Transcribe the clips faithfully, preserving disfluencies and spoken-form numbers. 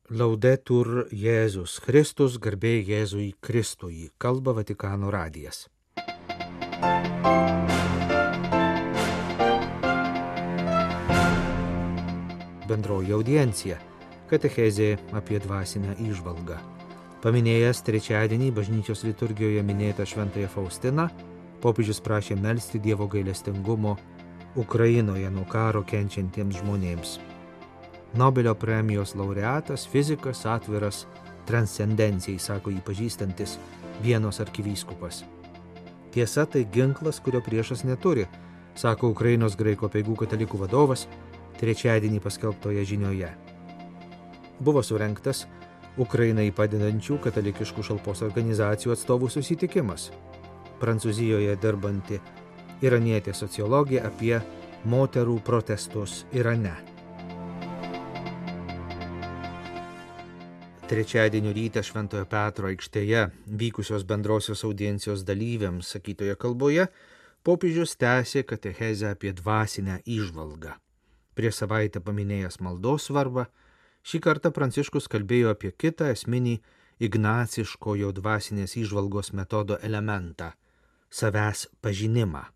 Laudetur Jėzus Kristus, garbė Jėzui Kristui, kalba Vatikano radijas. Bendroji audiencija – katechezė apie dvasinę įžvalgą. Paminėjęs trečiadienį bažnyčios liturgijoje minėtą šventąją Faustiną, popiežius prašė melsti Dievo gailestingumo Ukrainoje nuo karo kenčiantiems žmonėms. Nobelio premijos laureatas, fizikas, atviras transcendencijai, sako jį pažįstantis Vienos arkivyskupas. Tiesa, tai ginklas, kurio priešas neturi, sako Ukrainos graikų apeigų katalikų vadovas trečiadienį paskelbtoje žinioje. Buvo surengtas Ukrainai padedančių katalikiškų šalpos organizacijų atstovų susitikimas. Prancūzijoje dirbanti iranietė sociologė apie moterų protestus Irane. Trečiadienio rytą Šventojo Petro aikštėje vykusios bendrosios audiencijos dalyviams sakytoje kalboje popiežius tęsė katechezę apie dvasinę įžvalgą. Prieš savaitę paminėjęs maldos svarbą, šį kartą Pranciškus kalbėjo apie kitą esminį ignaciškojo dvasinės įžvalgos metodo elementą – savęs pažinimą.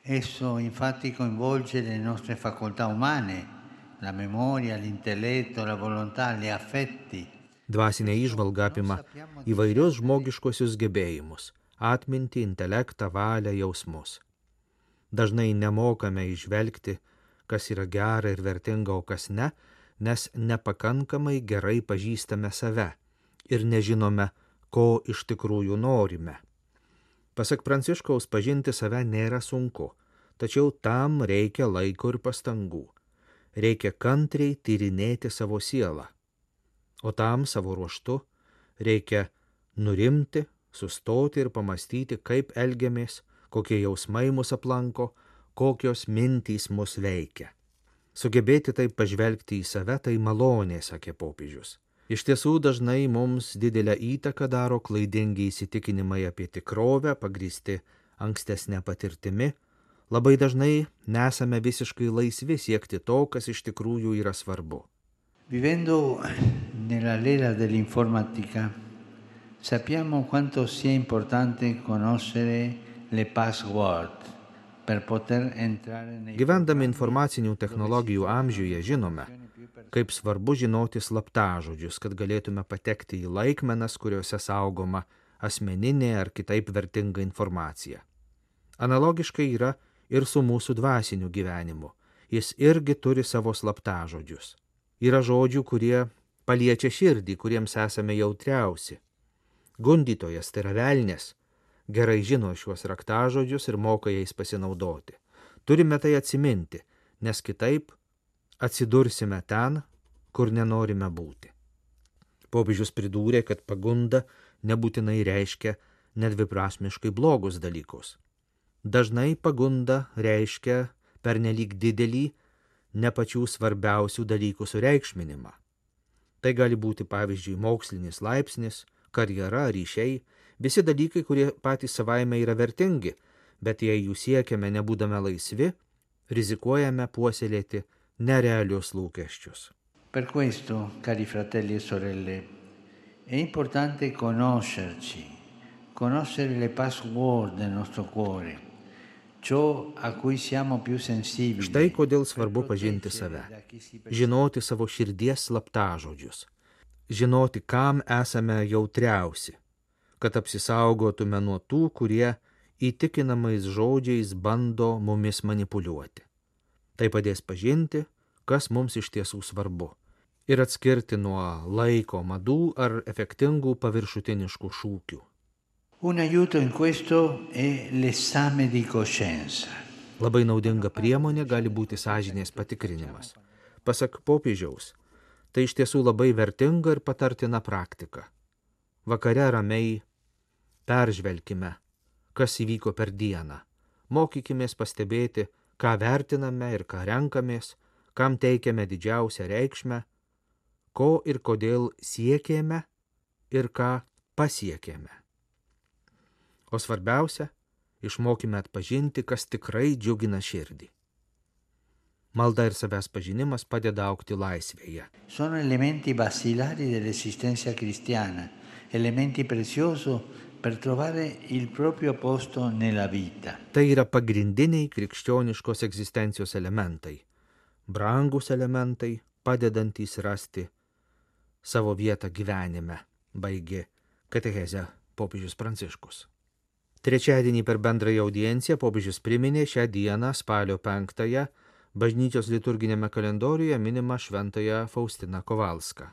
Esso infatti coinvolge le nostre facoltà umane, la memoria, l'intelletto, la volontà, gli affetti. Dvasinė įžvalga apima įvairius žmogiškosius gebėjimus – atmintį, intelektą, valią, jausmus. Dažnai nemokame įžvelgti, kas yra gera ir vertinga, o kas ne, nes nepakankamai gerai pažįstame save ir nežinome, ko iš tikrųjų norime. Pasak Pranciškaus, pažinti save nėra sunku, tačiau tam reikia laiko ir pastangų. Reikia kantriai tyrinėti savo sielą. O tam savo ruožtu reikia nurimti, sustoti ir pamastyti, kaip elgiamės, kokie jausmai mus aplanko, kokios mintys mus veikia. Sugebėti taip pažvelgti į save tai malonė, sakė popiežius. Iš tiesų dažnai mums didelę įtaką daro klaidingi įsitikinimai apie tikrovę, pagrįsti ankstesnę patirtimi. Labai dažnai nesame visiškai laisvi siekti to, kas iš tikrųjų yra svarbu. Vivendo nella l'era dell'informatica, sappiamo quanto sia importante conoscere le password per poter entrare nei... Gyvendami informacinių technologijų amžiuje žinome, kaip svarbu žinoti slaptažodžius, kad galėtume patekti į laikmenas, kuriuose saugoma asmeninė ar kitaip vertinga informacija. Analogiškai yra ir su mūsų dvasiniu gyvenimu. Jis irgi turi savo slaptažodžius. Yra žodžių, kurie paliečia širdį, kuriems esame jautriausi. Gundytojas, tai yra velnias, gerai žino šiuos raktažodžius ir moka jais pasinaudoti. Turime tai atsiminti, nes kitaip atsidursime ten, kur nenorime būti. Popiežius pridūrė, kad pagunda nebūtinai reiškia nedviprasmiškai blogus dalykus. Dažnai pagunda reiškia pernelyg didelį, ne pačių svarbiausių dalykų sureikšminimą. Tai gali būti, pavyzdžiui, mokslinis laipsnis, karjera, ryšiai, visi dalykai, kurie patys savaime yra vertingi, bet jei jų siekiame nebūdami laisvi, rizikuojame puoselėti nerealius lūkesčius. Per questo, cari fratelli e sorelle, è importante conoscerci, conoscere le password del nostro cuore. Štai kodėl svarbu pažinti save, žinoti savo širdies slaptažodžius, žinoti, kam esame jautriausi, kad apsisaugotume nuo tų, kurie įtikinamais žodžiais bando mumis manipuliuoti. Tai padės pažinti, kas mums iš tiesų svarbu, ir atskirti nuo laiko madų ar efektingų paviršutiniškų šūkių. Un aiuto in questo è l'esame di coscienza. Labai naudinga priemonė gali būti sąžinės patikrinimas. Pasak popiežiaus, tai iš tiesų labai vertinga ir patartina praktika. Vakare ramiai peržvelkime, kas įvyko per dieną. Mokykimės pastebėti, ką vertiname ir ką renkamės, kam teikiame didžiausią reikšmę, ko ir kodėl siekėme ir ką pasiekėme. O svarbiausia, išmokime atpažinti, kas tikrai džiugina širdį. Malda ir savęs pažinimas padeda augti laisvėje. Sono elementi basilari dell'esistenza cristiana, elementi preziosi per trovare il proprio posto nella vita. Tai yra pagrindiniai krikščioniškos egzistencijos elementai, brangus elementai, padedantys rasti savo vietą gyvenime, baigė katechezę popiežius Pranciškus. Trečiadienį per bendrąją audienciją popiežius priminė šią dieną, spalio penktąją, bažnyčios liturginėme kalendoriuje minima šventąją Faustiną Kovalską.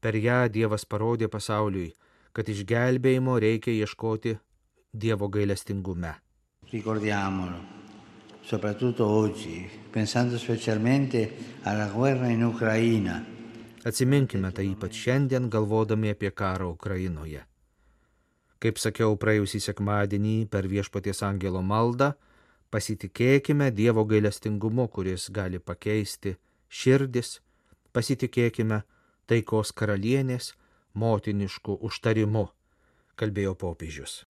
Per ją Dievas parodė pasauliui, kad išgelbėjimo reikia ieškoti Dievo gailestingume. Ricordiamolo, soprattutto oggi, pensando specialmente alla guerra in Ucraina. Atsiminkime tai ypač šiandien, galvodami apie karą Ukrainoje. Kaip sakiau praėjusį sekmadienį per Viešpaties angelo maldą, pasitikėkime Dievo gailestingumu, kuris gali pakeisti širdis, pasitikėkime taikos karalienės motinišku užtarimu, kalbėjo popiežius.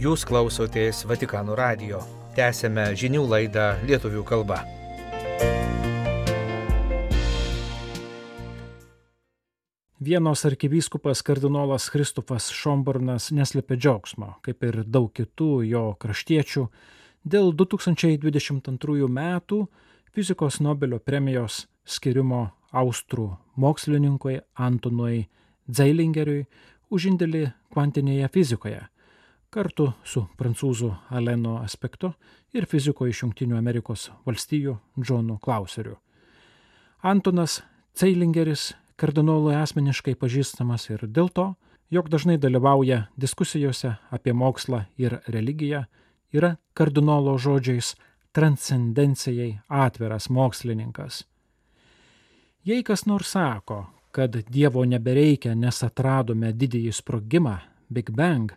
Jūs klausotės Vatikano radijo. Tęsėme žinių laidą lietuvių kalba. Vienos arkivyskupas kardinolas Kristofas Šomburnas neslėpė džiaugsmo, kaip ir daug kitų jo kraštiečių, dėl du tūkstančiai dvidešimt antrųjų metų fizikos Nobelio premijos skirimo austrų mokslininkui Antonui Zeilingeriui už indėlį kvantinėje fizikoje, kartu su prancūzų Aleno Aspektu ir fiziko iš Jungtinių Amerikos valstijų Johnu Clauseriu. Antonas Zeilingeris kardinolui asmeniškai pažįstamas ir dėl to, jog dažnai dalyvauja diskusijose apie mokslą ir religiją, yra kardinolo žodžiais transcendencijai atviras mokslininkas. Jei kas nors sako, kad Dievo nebereikia, nes atradome didįjį sprogimą, Big Bang,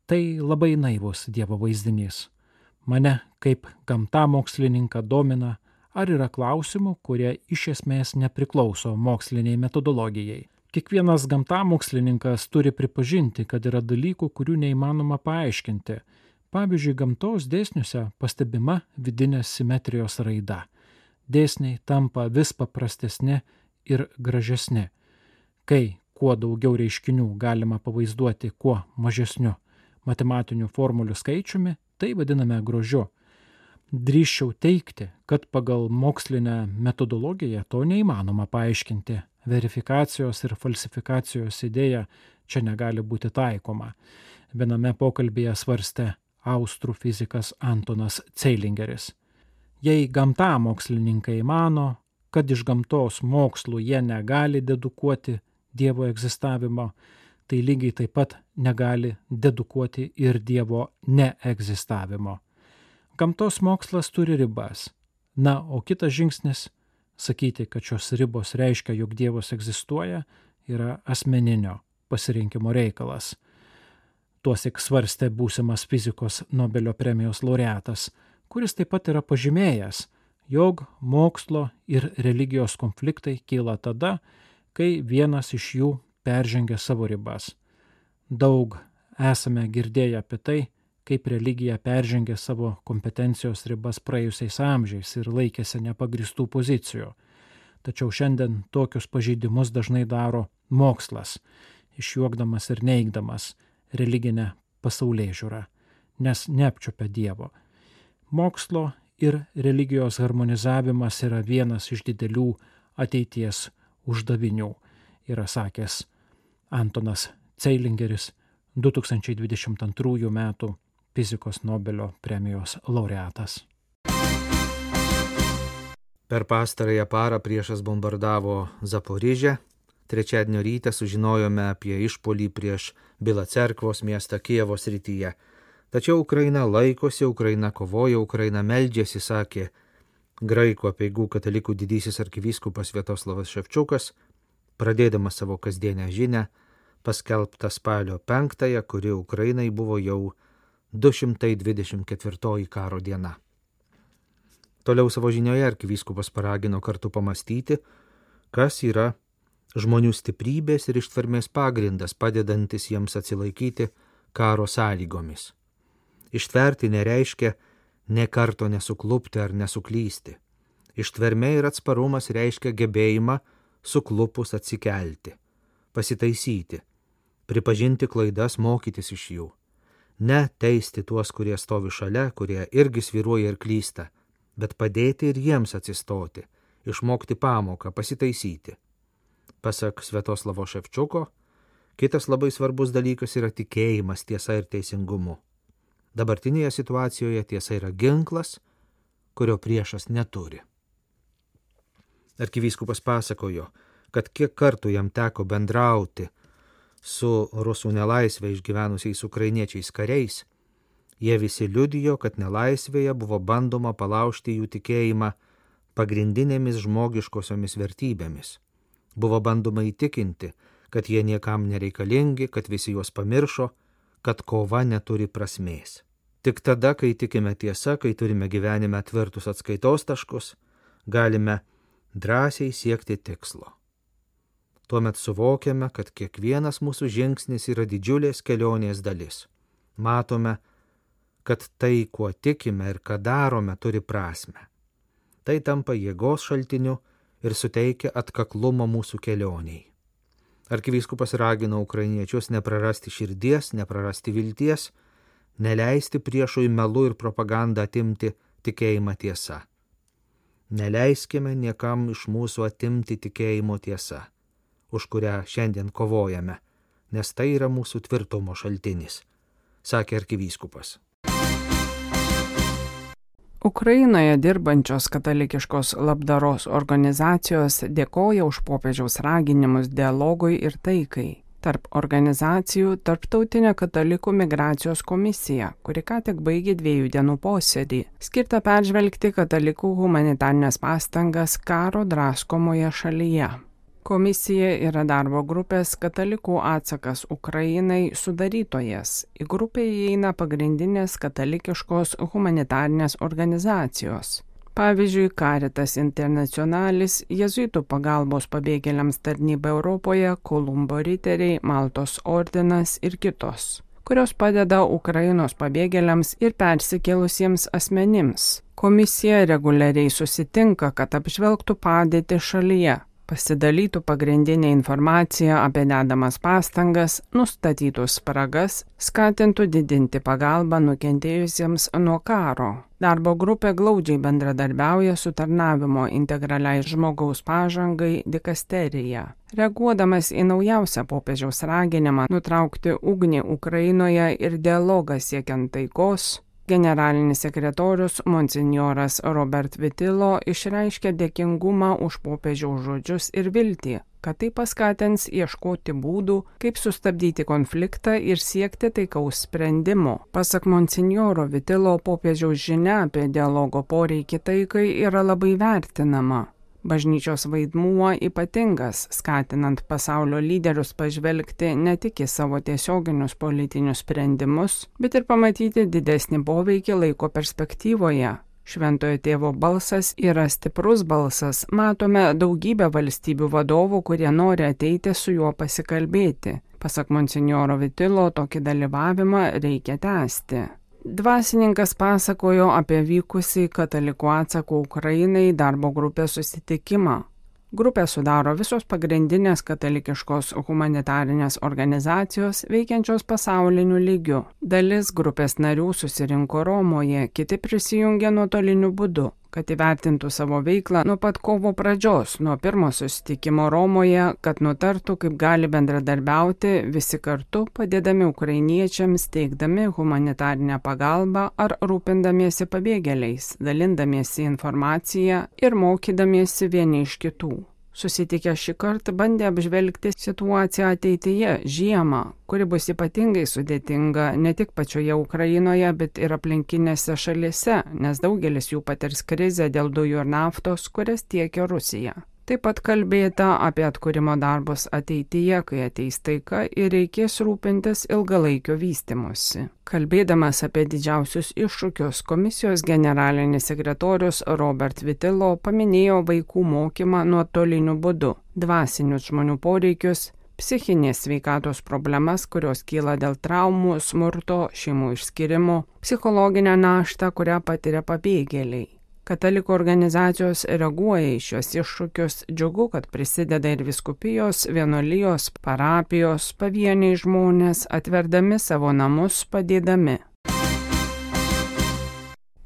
tai labai naivus Dievo vaizdinys. Mane kaip gamtamokslininką domina, ar yra klausimų, kurie iš esmės nepriklauso moksliniai metodologijai. Kiekvienas gamtamokslininkas turi pripažinti, kad yra dalykų, kurių neįmanoma paaiškinti. Pavyzdžiui, gamtos dėsniuose pastebima vidinės simetrijos raida. Dėsniai tampa vis paprastesni ir gražesni. Kai kuo daugiau reiškinių galima pavaizduoti kuo mažesniu matematinių formulių skaičiumi, tai vadiname grožiu. Drįsčiau teigti, kad pagal mokslinę metodologiją to neįmanoma paaiškinti. Verifikacijos ir falsifikacijos idėja čia negali būti taikoma. Viename pokalbyje svarstė austrų fizikas Antonas Zeilingeris. Jei gamtamokslininkai mano, kad iš gamtos mokslų jie negali dedukuoti Dievo egzistavimo, tai lygiai taip pat negali dedukuoti ir Dievo neegzistavimo. Gamtos mokslas turi ribas. Na, o kitas žingsnis – sakyti, kad šios ribos reiškia, jog Dievas egzistuoja, yra asmeninio pasirinkimo reikalas. Tuosik svarstė būsimas fizikos Nobelio premijos laureatas, kuris taip pat yra pažymėjęs, jog mokslo ir religijos konfliktai kyla tada, kai vienas iš jų peržengia savo ribas. Daug esame girdėję apie tai, kaip religija peržengė savo kompetencijos ribas praėjusiais amžiais ir laikėsi nepagristų pozicijų. Tačiau šiandien tokius pažeidimus dažnai daro mokslas, išjuokdamas ir neigdamas religinę pasaulėžiūrą, nes neapčiuopia Dievo. Mokslo ir religijos harmonizavimas yra vienas iš didelių ateities uždavinių, yra sakęs Antonas Zeilingeris, du tūkstančiai dvidešimt antrųjų metų fizikos Nobelio premijos laureatas. Per pastarąją parą priešas bombardavo Zaporižę. Trečiadienio rytą sužinojome apie išpuolį prieš Bila Cerkvos miestą Kijevo srityje. Tačiau Ukraina laikosi, Ukraina kovoja, Ukraina meldžiasi, sakė graikų apeigų katalikų didysis arkivyskupas Sviatoslavas Ševčiukas, pradėdamas savo kasdienę žinią, paskelbtą spalio penktąją, kuri Ukrainai buvo jau du šimtai dvidešimt ketvirtoji karo diena. Toliau savo žinioje arkivyskupas paragino kartu pamastyti, kas yra žmonių stiprybės ir ištvermės pagrindas, padedantis jiems atsilaikyti karo sąlygomis. Ištverti nereiškia nė karto nesuklupti ar nesuklysti. Ištvermė ir atsparumas reiškia gebėjimą suklupus atsikelti, pasitaisyti, pripažinti klaidas, mokytis iš jų. Ne teisti tuos, kurie stovi šalia, kurie irgi svyruoja ir klysta, bet padėti ir jiems atsistoti, išmokti pamoką, pasitaisyti. Pasak Sviatoslavo Ševčiuko, kitas labai svarbus dalykas yra tikėjimas tiesa ir teisingumu. Dabartinėje situacijoje tiesa yra ginklas, kurio priešas neturi. Arkivyskupas pasakojo, kad kiek kartų jam teko bendrauti su rusų nelaisvę išgyvenusiais ukrainiečiais kariais, jie visi liudijo, kad nelaisvėje buvo bandoma palaužti jų tikėjimą pagrindinėmis žmogiškosiomis vertybėmis. Buvo bandoma įtikinti, kad jie niekam nereikalingi, kad visi juos pamiršo, kad kova neturi prasmės. Tik tada, kai tikime tiesa, kai turime gyvenime tvirtus atskaitos taškus, galime drąsiai siekti tikslo. Tuomet suvokiame, kad kiekvienas mūsų žingsnis yra didžiulės kelionės dalis. Matome, kad tai, kuo tikime ir ką darome, turi prasmę. Tai tampa jėgos šaltiniu ir suteikia atkaklumo mūsų kelioniai. Arkivyskupas ragino ukrainiečius neprarasti širdies, neprarasti vilties, neleisti priešui melu ir propagandą atimti tikėjimą tiesa. Neleiskime niekam iš mūsų atimti tikėjimo tiesa, už kurią šiandien kovojame, nes tai yra mūsų tvirtumo šaltinis, sakė arkivyskupas. Ukrainoje dirbančios katalikiškos labdaros organizacijos dėkoja už popiežiaus raginimus dialogui ir taikai. Tarp organizacijų Tarptautinė katalikų migracijos komisija, kuri ką tik baigė dviejų dienų posėdį, skirta peržvelgti katalikų humanitarines pastangas karo draskomoje šalyje. Komisija yra darbo grupės Katalikų atsakas Ukrainai sudarytojas. Į grupę įeina pagrindinės katalikiškos humanitarinės organizacijos. Pavyzdžiui, Caritas Internationalis, Jėzuitų pagalbos pabėgėliams tarnyba Europoje, Kolumbo riteriai, Maltos ordinas ir kitos, kurios padeda Ukrainos pabėgėliams ir persikėlusiems asmenims. Komisija reguliariai susitinka, kad apžvelgtų padėtį šalyje, pasidalytų pagrindinę informaciją apie dedamas pastangas, nustatytų spragas, skatintų didinti pagalbą nukentėjusiems nuo karo. Darbo grupė glaudžiai bendradarbiauja su tarnavimo integraliai žmogaus pažangai dikasterija. Reaguodamas į naujausią popiežiaus raginimą nutraukti ugnį Ukrainoje ir dialogą siekiant taikos, generalinis sekretorius monsinjoras Robert Vitilo išreiškė dėkingumą už popiežiaus žodžius ir viltį, kad tai paskatins ieškoti būdų, kaip sustabdyti konfliktą ir siekti taikaus sprendimo. Pasak monsinjoro Vitilo, popiežiaus žinia apie dialogo poreikį taikai yra labai vertinama. Bažnyčios vaidmuo ypatingas, skatinant pasaulio lyderius pažvelgti ne tik į savo tiesioginius politinius sprendimus, bet ir pamatyti didesnį poveikį laiko perspektyvoje. Šventojo tėvo balsas yra stiprus balsas, matome daugybę valstybių vadovų, kurie nori ateiti su juo pasikalbėti. Pasak monsinjoro Vitilo, tokį dalyvavimą reikia tęsti. Dvasininkas pasakojo apie vykusį Katalikų atsako Ukrainai darbo grupės susitikimą. Grupę sudaro visos pagrindinės katalikiškos humanitarinės organizacijos veikiančios pasauliniu lygiu. Dalis grupės narių susirinko Romoje, kiti prisijungė nuotoliniu būdu, kad įvertintų savo veiklą nuo pat kovo pradžios, nuo pirmo susitikimo Romoje, kad nutartų, kaip gali bendradarbiauti visi kartu, padėdami ukrainiečiams, teikdami humanitarinę pagalbą ar rūpindamiesi pabėgėliais, dalindamiesi informaciją ir mokydamiesi vieni iš kitų. Susitikę šį kartą bandė apžvelgti situaciją ateityje, žiemą, kuri bus ypatingai sudėtinga ne tik pačioje Ukrainoje, bet ir aplinkinėse šalyse, nes daugelis jų patirs krizę dėl dujų ir naftos, kurias tiekia Rusija. Taip pat kalbėta apie atkūrimo darbus ateityje, kai ateis taika ir reikės rūpintis ilgalaikio vystymosi. Kalbėdamas apie didžiausius iššūkius, komisijos generalinis sekretorius Robert Vitilo paminėjo vaikų mokymą nuotoliniu būdu, dvasinius žmonių poreikius, psichinės sveikatos problemas, kurios kyla dėl traumų, smurto, šeimų išskirimo, psichologinę naštą, kurią patiria pabėgėliai. Katalikų organizacijos reaguoja į šios iššūkius, džiugu, kad prisideda ir vyskupijos, vienuolijos, parapijos, pavieniai žmonės, atverdami savo namus, padėdami.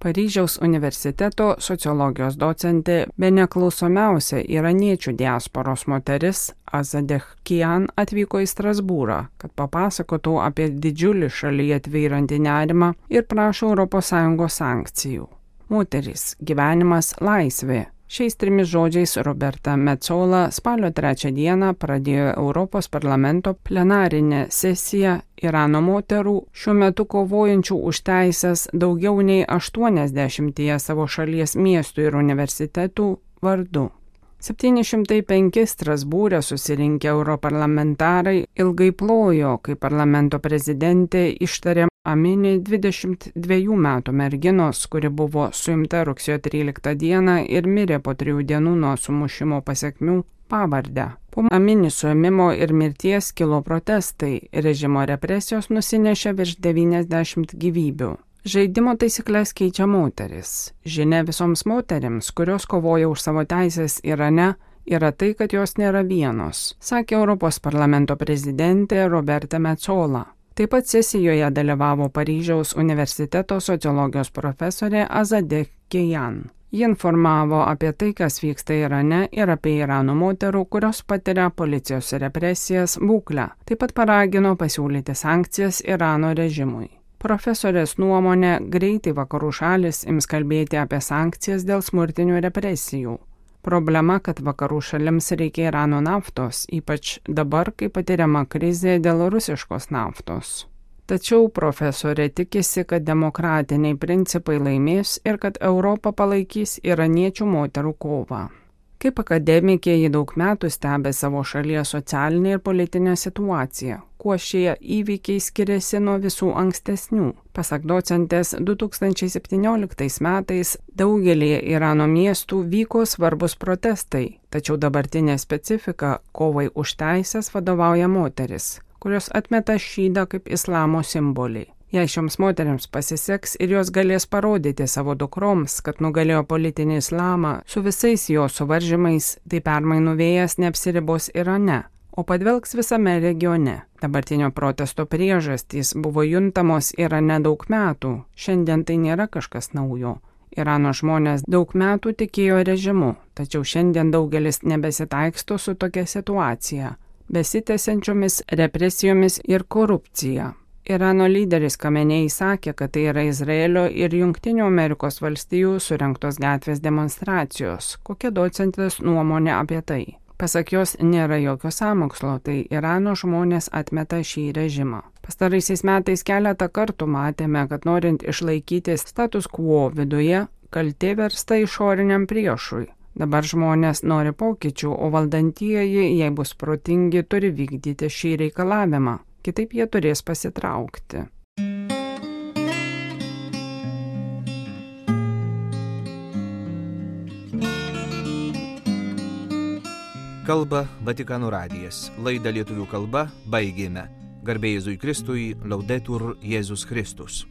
Paryžiaus universiteto sociologijos docentė, bene klausomiausia iraniečių diasporos moteris Azadeh Kian atvyko į Strasbūrą, kad papasakotų apie didžiulį šalyje tvyrantį nerimą ir prašo Europos Sąjungos sankcijų. Moterys, gyvenimas, laisvė. Šiais trimis žodžiais Roberta Metsola spalio trečią dieną pradėjo Europos parlamento plenarinę sesiją Irano moterų, šiuo metu kovojančių už teisės daugiau nei aštuoniasdešimtyje savo šalies miestų ir universitetų vardu. septyni šimtai penki Strasbūre susirinkę europarlamentarai ilgai plojo, kai parlamento prezidentė ištarė Amini dvidešimt dviejų metų merginos, kuri buvo suimta rugsėjo tryliktą dieną ir mirė po trijų dienų nuo sumušimo pasekmių, pavardę. Po Amini suėmimo ir mirties kilo protestai, režimo represijos nusinešė virš devyniasdešimt gyvybių. Žaidimo taisyklės keičia moteris. Žinia visoms moterims, kurios kovoja už savo teisės Irane, yra tai, kad jos nėra vienos, sakė Europos parlamento prezidentė Roberta Metsola. Taip pat sesijoje dalyvavo Paryžiaus universiteto sociologijos profesorė Azadeh Kian. Ji informavo apie tai, kas vyksta Irane ir apie Irano moterų, kurios patiria policijos represijas, būklę. Taip pat paragino pasiūlyti sankcijas Irano režimui. Profesorės nuomonė, greitai vakarų šalis ims kalbėti apie sankcijas dėl smurtinių represijų. Problema, kad vakarų šalims reikia Irano naftos, ypač dabar, kai patiriama krizė dėl rusiškos naftos. Tačiau profesorė tikisi, kad demokratiniai principai laimės ir kad Europa palaikys iraniečių moterų kovą. Kaip akademikė ji daug metų stebė savo šalies socialinę ir politinę situaciją, kuo šie įvykiai skiriasi nuo visų ankstesnių. Pasak docentės, du tūkstančiai septynioliktais metais daugelį Irano miestų vyko svarbus protestai, tačiau dabartinė specifika kovai už teisės vadovauja moteris, kurios atmeta šydą kaip islamo simbolį. Jei šioms moteriams pasiseks ir jos galės parodyti savo dukroms, kad nugalėjo politinį islamą su visais jo suvaržymais, tai permainų vėjas neapsiribos Irane, o padvelks visame regione. Dabartinio protesto priežastys buvo juntamos Irane daug metų, šiandien tai nėra kažkas naujo. Irano žmonės daug metų tikėjo režimu, tačiau šiandien daugelis nebesitaiksto su tokia situacija, besitęsiančiomis represijomis ir korupcija. Irano lyderis Kamenei sakė, kad tai yra Izraelio ir Jungtinių Amerikos valstijų surengtos gatvės demonstracijos. Kokia docentės nuomonė apie tai? Pasak jos, nėra jokio sąmokslo, tai Irano žmonės atmeta šį režimą. Pastaraisiais metais keletą kartų matėme, kad norint išlaikyti status quo viduje, kaltė versta išoriniam priešui. Dabar žmonės nori pokyčių, o valdantieji, jei bus protingi, turi vykdyti šį reikalavimą. Kitaip jie turės pasitraukti. Kalba Vatikano radijas. Laidą lietuvių kalba baigėme. Garbė Jėzui Kristui, Laudetur Jėzus Kristus.